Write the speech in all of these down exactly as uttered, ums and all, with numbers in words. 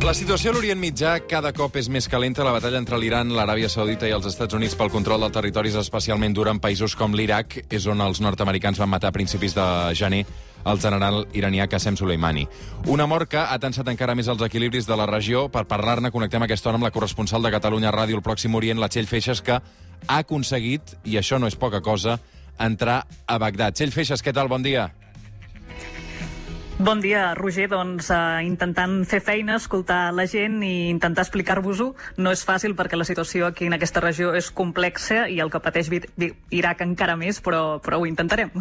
La situació a l'Orient Mitjà cada cop és més calenta. La batalla entre l'Iran, l'Aràbia Saudita i els Estats Units pel control dels territoris especialment dura en països com l'Iraq. És on els nord-americans van matar a principis de gener el general iranià Qassem Soleimani. Una mort que ha tensat encara més els equilibris de la regió. Per parlar-ne, connectem aquesta hora amb la corresponsal de Catalunya Ràdio al Pròxim Orient, la Txell Feixas, que ha aconseguit, i això no és poca cosa, entrar a Bagdad. Txell Feixas, què tal? Bon dia. Bon dia, Roger. Doncs uh, intentant fer feina, escoltar la gent i intentar explicar-vos-ho. No és fàcil perquè la situació aquí en aquesta regió és complexa i el que pateix Iraq encara més, però, però ho intentarem.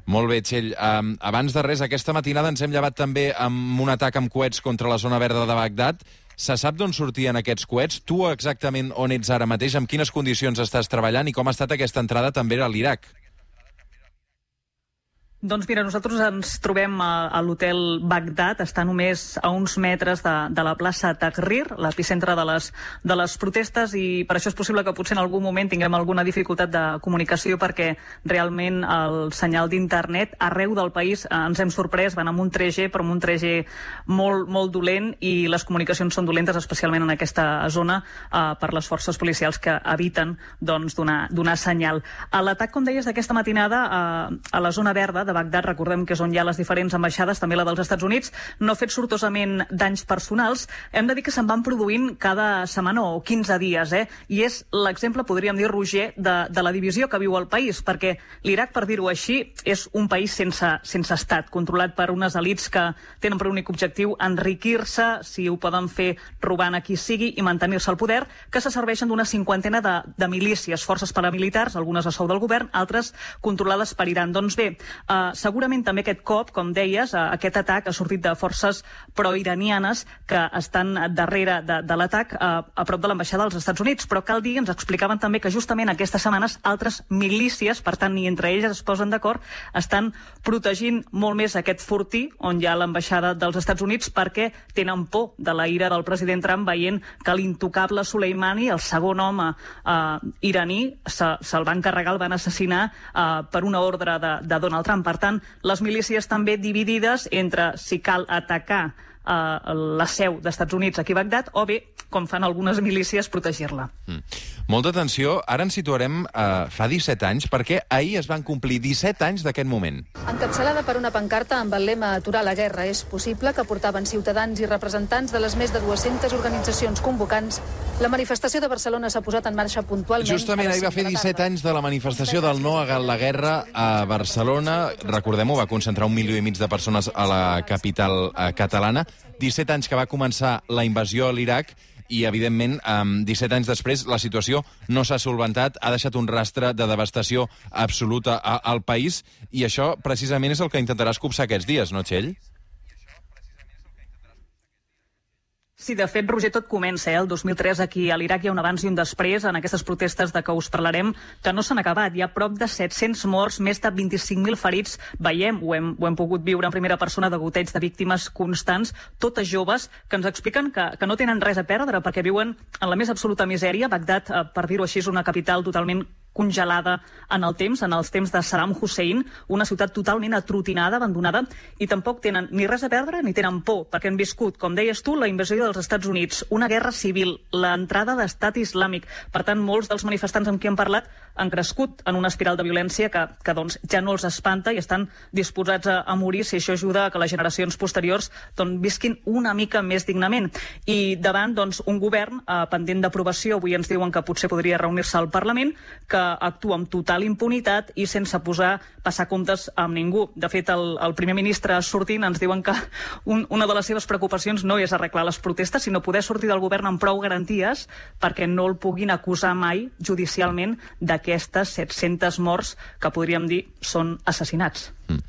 Molt bé, Txell. Um, abans de res, aquesta matinada ens hem llevat també amb un atac amb coets contra la zona verda de Bagdad. Se sap d'on sortien aquests coets? Tu exactament on ets ara mateix? Amb quines condicions estàs treballant i com ha estat aquesta entrada també a l'Iraq? Doncs mira, nosaltres ens trobem a, a l'hotel Bagdad, està només a uns metres de, de la plaça Tahrir, l'epicentre de les, de les protestes, i per això és possible que potser en algun moment tinguem alguna dificultat de comunicació perquè realment el senyal d'internet arreu del país eh, ens hem sorprès, van amb un tres G, però amb un tres G molt, molt dolent, i les comunicacions són dolentes, especialment en aquesta zona, eh, per les forces policials que eviten doncs, donar, donar senyal. A l'atac, com deies, d'aquesta matinada eh, a la zona verda de Bagdad, recordem que és on hi ha les diferents ambaixades, també la dels Estats Units, no ha fet sortosament danys personals. Hem de dir que se'n van produint cada setmana o quinze dies, eh? I és l'exemple, podríem dir, Roger, de, de la divisió que viu el país, perquè l'Iraq, per dir-ho així, és un país sense, sense estat, controlat per unes elits que tenen per únic objectiu enriquir-se, si ho poden fer robant a qui sigui, i mantenir-se al poder, que se serveixen d'una cinquantena de, de milícies, forces paramilitars, algunes a sou del govern, altres controlades per Iran. Doncs bé, eh, Uh, segurament també aquest cop, com deies, uh, aquest atac ha sortit de forces pro-iranianes que estan darrere de, de l'atac uh, a prop de l'ambaixada dels Estats Units, però cal dir, ens explicaven també que justament aquestes setmanes altres milícies, per tant ni entre elles es posen d'acord, estan protegint molt més aquest fortí on hi ha l'ambaixada dels Estats Units perquè tenen por de la ira del president Trump veient que l'intocable Soleimani, el segon home uh, iraní, se'l se van carregar, el van assassinar uh, per una ordre de, de Donald Trump. Per tant, les milícies també dividides entre si cal atacar uh, la seu d'Estats Units aquí a Bagdad o bé, com fan algunes milícies, protegir-la. Mm. Molta atenció. Ara ens situarem uh, fa disset anys, perquè ahir es van complir disset anys d'aquest moment. Encapçalada per una pancarta amb el lema "Aturar la guerra és possible", que portaven ciutadans i representants de les més de dues-centes organitzacions convocants, la manifestació de Barcelona s'ha posat en marxa puntualment. Justament ahir va fer disset anys de la manifestació del no a la guerra a Barcelona. Recordem-ho, va concentrar un milió i mig de persones a la capital uh, catalana. disset anys que va començar la invasió a l'Iraq i, evidentment, um, disset anys després la situació no s'ha solventat, ha deixat un rastre de devastació absoluta a, al país, i això precisament és el que intentaràs copsar aquests dies, no, Txell? Sí, de fet, Roger, tot comença, eh? El dos mil tres aquí a l'Iraq hi ha un abans i un després en aquestes protestes de què us parlarem, que no s'han acabat. Hi ha prop de set-cents morts, més de vint-i-cinc mil ferits. Veiem, ho hem, ho hem pogut viure en primera persona, de goteig de víctimes constants, totes joves, que ens expliquen que, que no tenen res a perdre perquè viuen en la més absoluta misèria. Bagdad, eh, per dir-ho així, és una capital totalment congelada en el temps, en els temps de Saddam Hussein, una ciutat totalment atrotinada, abandonada, i tampoc tenen ni res a perdre ni tenen por, perquè han viscut, com deies tu, la invasió dels Estats Units, una guerra civil, l'entrada d'estat islàmic. Per tant, molts dels manifestants amb qui hem parlat han crescut en una espiral de violència que, que doncs, ja no els espanta i estan disposats a, a morir si això ajuda a que les generacions posteriors doncs, visquin una mica més dignament. I davant doncs, un govern eh, pendent d'aprovació, avui ens diuen que potser podria reunir-se al Parlament, que actua amb total impunitat i sense posar passar comptes amb ningú. De fet, el, el primer ministre sortint ens diuen que un, una de les seves preocupacions no és arreglar les protestes, sinó poder sortir del govern amb prou garanties perquè no el puguin acusar mai judicialment d'aquestes set-centes morts que podríem dir són assassinats. Mm.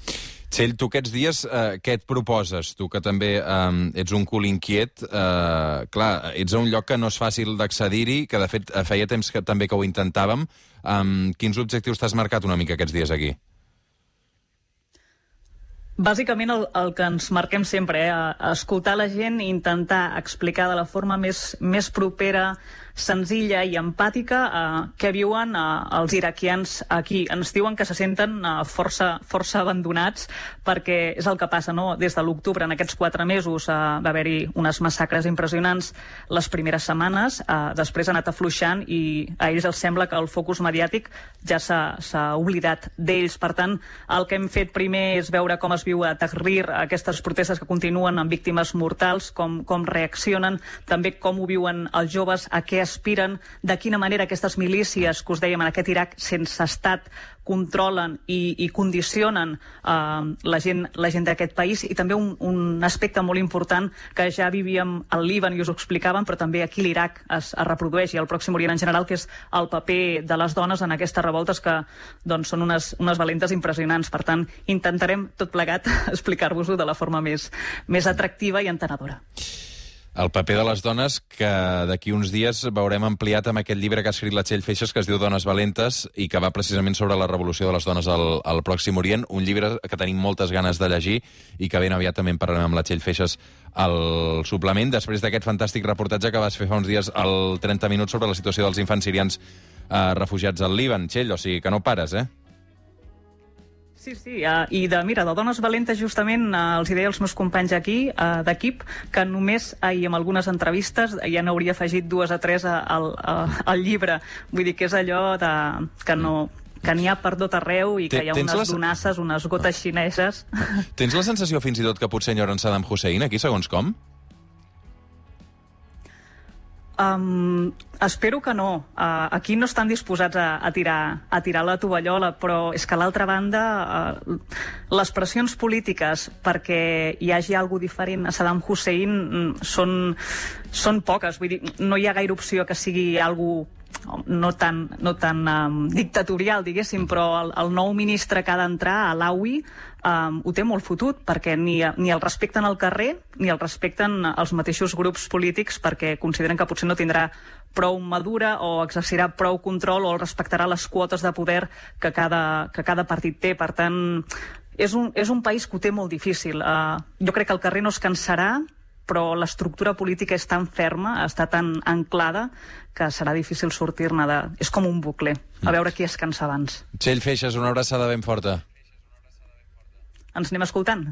Txell, tu aquests dies eh, què et proposes? Tu que també eh, ets un cul inquiet, eh, clar, ets a un lloc que no és fàcil d'accedir-hi, que de fet feia temps que també que ho intentàvem. Eh, quins objectius t'has marcat una mica aquests dies aquí? Bàsicament el, el que ens marquem sempre, eh? Escoltar la gent i intentar explicar de la forma més, més propera, senzilla i empàtica eh, què viuen eh, els iraquians aquí. Ens diuen que se senten eh, força, força abandonats perquè és el que passa, no? Des de l'octubre, en aquests quatre mesos, eh, va haver-hi unes massacres impressionants les primeres setmanes, eh, després ha anat afluixant i a ells els sembla que el focus mediàtic ja s'ha oblidat d'ells. Per tant, el que hem fet primer és veure com es viu a Tahrir aquestes protestes que continuen amb víctimes mortals, com, com reaccionen, també com ho viuen els joves, a què aspiren, de quina manera aquestes milícies que us dèiem en aquest Iraq sense estat controlen i, i condicionen eh, la gent, la gent d'aquest país, i també un, un aspecte molt important que ja vivíem al Líban i us ho explicàvem, però també aquí l'Iraq es, es reprodueix, i al Pròxim Orient en general, que és el paper de les dones en aquestes revoltes que doncs, són unes, unes valentes impressionants. Per tant, intentarem tot plegat explicar-vos-ho de la forma més, més atractiva i entenedora. El paper de les dones, que d'aquí uns dies veurem ampliat amb aquest llibre que ha escrit la Txell Feixas, que es diu Dones valentes, i que va precisament sobre la revolució de les dones al, al Pròxim Orient, un llibre que tenim moltes ganes de llegir i que ben aviat també en parlarem amb la Txell Feixas al suplement, després d'aquest fantàstic reportatge que vas fer fa uns dies al trenta minuts sobre la situació dels infants sirians eh, refugiats al Líban. Txell, o sigui que no pares, eh? Sí, sí, uh, i de, mira, de Dones Valentes justament uh, els hi deia als meus companys aquí uh, d'equip que només ahir amb algunes entrevistes ja n'hauria afegit dues o tres al, al llibre. Vull dir que és allò de, que no... que n'hi ha per tot arreu i que hi ha unes les... donasses, unes gotes xineses. Tens la sensació fins i tot que potser enyoren Saddam Hussein aquí, segons com? Um, espero que no. Uh, aquí no estan disposats a, a, tirar, a tirar la tovallola, però és que a l'altra banda uh, les pressions polítiques perquè hi hagi alguna diferent a Saddam Hussein mm, són, són poques. Vull dir, no hi ha gaire opció que sigui alguna no tan, no tan um, dictatorial, diguéssim, però el, el nou ministre que ha d'entrar, Alawi, um, ho té molt fotut, perquè ni, ni el respecten al carrer ni el respecten els mateixos grups polítics, perquè consideren que potser no tindrà prou madura o exercirà prou control o respectarà les quotes de poder que cada, que cada partit té. Per tant, és un, és un país que ho té molt difícil. Uh, jo crec que el carrer no es cansarà, però l'estructura política és tan ferma, està tan anclada, que serà difícil sortir-ne de... És com un bucle. A veure qui es cansa abans. Txell Feixas, una abraçada ben forta. Ens anem escoltant.